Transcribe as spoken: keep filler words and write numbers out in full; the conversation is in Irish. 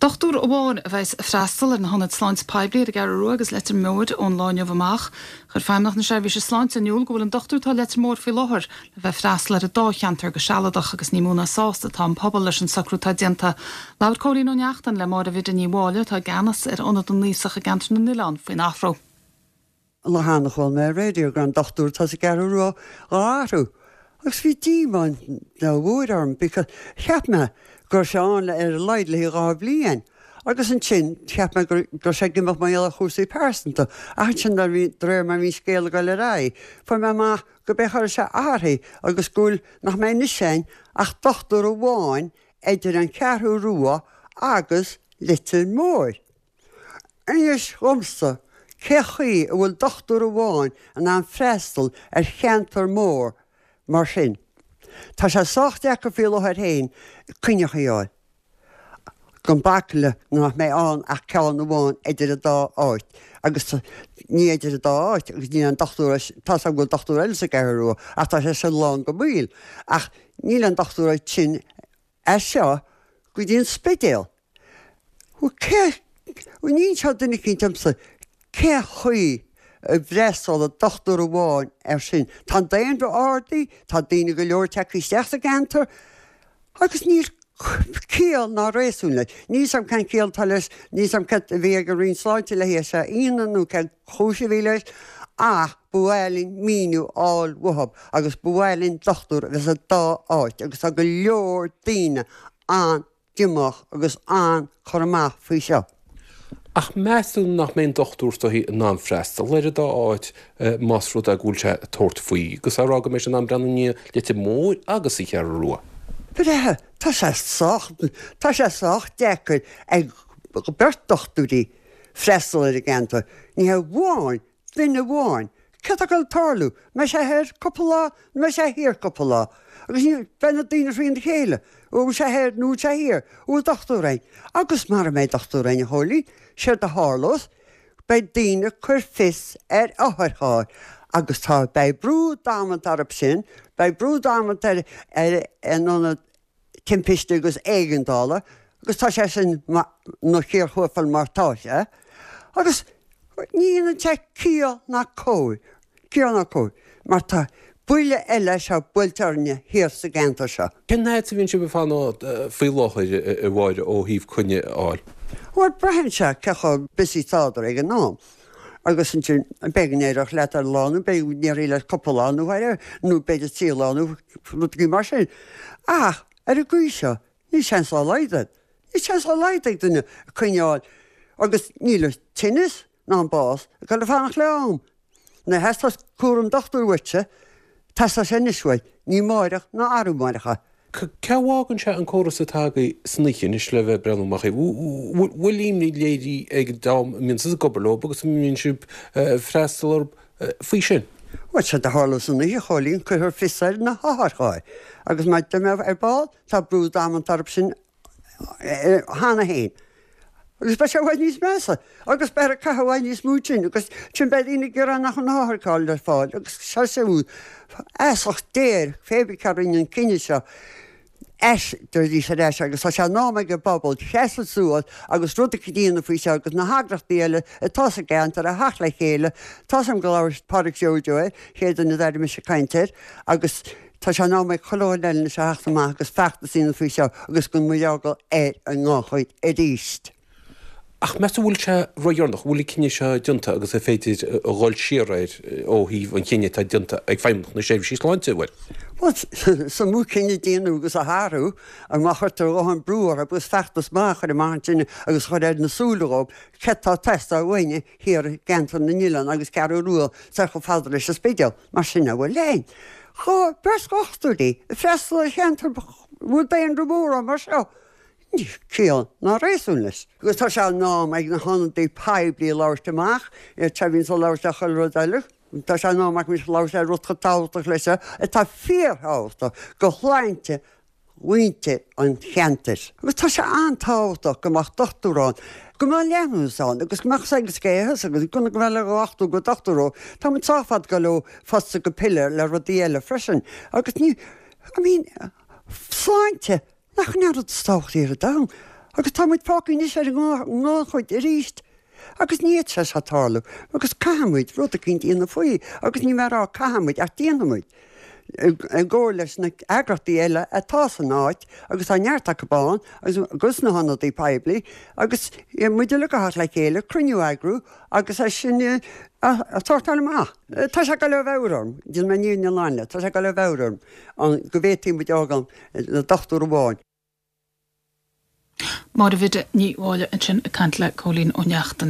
Dochtúir amháin a bheas ag freastal ar na hionaid sláinte poiblí ar an gCeathrú Rua agus Leitir Móir ón lá inniu amach. Chuir Feidhmeannacht na Seirbhíse Sláinte in iúl go bhfuil an dochtúir atá Leitir Móir faoi láthair le bheith freastal ar an dá cheantar go sealadach agus ní mó ná sásta atá an pobal leis an socrú atá déanta. Labhair Cóilín Ó Neachtain le Máire Bhidde Ní Mháille atá i gceannas ar Ionad na nAosach i gceantar na nOileán faoin athrú. Lá cheana chuala mé ar raidió go raibh an dochtúir atá sa gCeathrú Rua á athrú. Agus bhí díomá mhór orm because cheap mé go raibh sé ann ar a laghad le dhá bhliain. Agus ansin cheap mé go raibh sé ag imeacht mar gheall ar chúrsaí pearsanta, ach ansin de réir mar bhí an scéal ag dul ar aghaidh, fuair mé amach go b'é chuir sé athraithe agus go bhfuil nach mbeidh anois ann ach dochtúir amháin idir an Cheathrú Rua agus Leitir Móir. Anois dhomsa, cé chaoi a bhfuil dochtúir amháin in ann freastal ar cheantar mór mar sin? Tá sé sách deacair faoi láthair féin coinne a fháil. Gan bac le nach mbeidh ann ach ceann amháin idir an dá áit agus ní idir an dá áit agus níl an dochtúir tá go bhfuil dochtúir eile sa gCeathrú Rua ach tá sé sin lán go béal ach níl an dochtúir sin as seo go dtí an Spidéal. Cé ní seo duine eicínt domsa cé chaoi a bhfreastalódh dochtúir amháin air sin. Tá an daonra ardaithe, tá daoine go leor tagtha isteach sa gceantar agus níl ciall ná réasún leis. Níl a fhios agam cén chiall atá leis, níl a fhios agam cad a bhí ag an Roinn Sláinte le hé seo a dhéanamh nó cén chúis a bhí leis, ach ba mhaith linn míniú a fháil uathu agus ba mhaith linn dochtúir a bheith sa dá áit agus tá go leor daoine an-díomách agus an-chur amach faoi seo. Ach meas tú nach mbeidh an dochtúir is in ann freastal ar an dá áit más rud é go bhfuil sé ag tabhairt faoi, agus á rá go mbeidh sé in ann breathnú i ndiaidh Leitir Móir agus an Cheathrú Rua. Breá, tá sé sách, tá sé sách deacair ag beirt dochtúirí freastal ar an gceantar. Ní hamháin duine amháin. Cad tá ag dul tarlú? Mbeidh sé thoir cúpla lá, nó mbeidh sé thiar cúpla lá. Agus ní beidh na daoine thrína chéile. Bhfuil sé thoir nó bhfuil sé thiar, bhfuil dochtúir ann. Agus mara mbeidh dochtúir ann a Chóilín, séard a tharlós, beidh daoine ag cur fios ar otharchairr agus tá beidh brú damanta orthu sin, beidh brú damanta ar ar an ionad timpiste agus éigeandála agus tá sé sin ina chíor thuathal mar tá sé. Agus ní dhéanann sé ciall ná cóir, ciall ná cóir, mar tá buille eile seo buailte orainne thiar sa gceantar seo. Cén fhad a bhíonn sibh ag fanacht faoi láthair a Mháire ó thaobh coinne a fháil? Bhuel braitheann sé cé chomh busy tádar ag an am. Agus ansin b'fhéidir go n-éireodh leat ar lá nó b'fhéidir go n-éireoidh leat cúpla lá nó whatever, nó b'fhéidir trí lá nó rudaí mar sin. Ach ar an gcaoi seo níl seans dá laghad agat. Níl seans dá laghad ag duine coinne a fháil agus níl an tinneas ná an bás ag dul ag fanacht le am. Nuair a theastós cúram dochtúir uaitse, teastóidh sé anois uait, ní amárach ná arú amárach. Cé a bhfágann sé an córas atá agaibh san oíche anois le bheith ag breathnú amach bhfuil imní léirithe ag an dream a mbíonn sibh ag obair leo agus a mbíonn sibh ag freastal orthu faoi sin? Bhuel, séard a tharlós san oíche, a Chóilín, cuirfear fios ar na hotharchairr agus mar a deir mé ar ball, tá brú damanta orthu sin cheana féin. Agus beidh sé i bhfad níos measa agus beifear ag caitheamh i bhfad níos mó sin agus sin beidh daoine ag gearán nach bhfuil na hotharchairr le fáil agus seo siúd feasacht Dé air pé bith cé a rinne an cinneadh seo ais arís ar ais agus tá sé in am ag an bpobal seasamh suas agus rud a dhéanamh faoi seo agus na heagraíochtaí eile atá sa gceantar a theacht le chéile. Tá 's agam go labhair Pádraig Joe Joe air, chéad duine a d'airigh mise ag caint air agus tá sé in am ag chuile dhuine eile anois a theacht amach agus feachtas a dhéanamh faoi seo agus go mbeidh eagla ar an ngannchuid arís. Ach meas tú bhfuil sé ródheireanach, bhfuil an cinneadh seo déanta agus an féidir a dhul siar air ó thaobh an chinnidh atá déanta ag Feidhmeannacht na Seirbhísí Sláinte, an bhfuil? Bhuel, is iomaí cinneadh a déanadh agus a athrú, má chuirtear a dhóthain brú orthu agus feachtas maith a chur amach ansin agus a chur ar na súile dhóibh céard atá ag teastáil uainne thiar i gceantar na nOileán agus Ceathrú Rua soir chomh fada leis an Spidéal, mar sin a bhfuil aon dhá beirt dhochtúirí ag freastal ar cheantar a bhfuil daonra mór ann mar seo. Níl ciall ná réasún leis. Agus tá sé in am ag na hionadaithe poiblí labhairt amach, iad seo a bhíonns ag labhairt ar chuile rud eile. Tá sé in am acu anois labhairt ar rud chomh tábhachtach leis seo, atá fíorthábhachtach do shláinte mhuintir an cheantair. Agus tá sé an-tábhachtach go mbeadh dochtúir ann, go mbeadh leanúnachas ann agus go mbeadh saghas géitheas agus go mbeadh le dhochtúir go dochtúir ó. Tá muid sách fada ag dul ó phosta go piléar le rudaí eile freisin. Agus ní, I mean, sláinte! Nach in é an rud is tábhachtaí ar an domhan? Agus tá muid fágtha anois ar an ngannchuid arís. Agus ní fhéadfadh sé seo tarlú agus caithfidh muid rud eicínt a dhéanamh faoi agus ní mé a rá caithfidh muid ach déanfaidh muid i gcomhar leis na eagraíochtaí eile atá san áit agus tá neart acu ann agus na hionadaí poiblí agus muid uilig a theacht le chéile, cruinniú a eagrú agus é sin a shórtáil amach. Tá sé ag dul ó mheabhair orm, déanfaidh mé an fhírinne lán leat, tá sé ag dul ó mheabhair orm go bhféadfaidh muid fhágáil le dochtúir amháin. Máire Bhidde Ní Mháille ansin ag caint le Cóilín Ó Neachtain.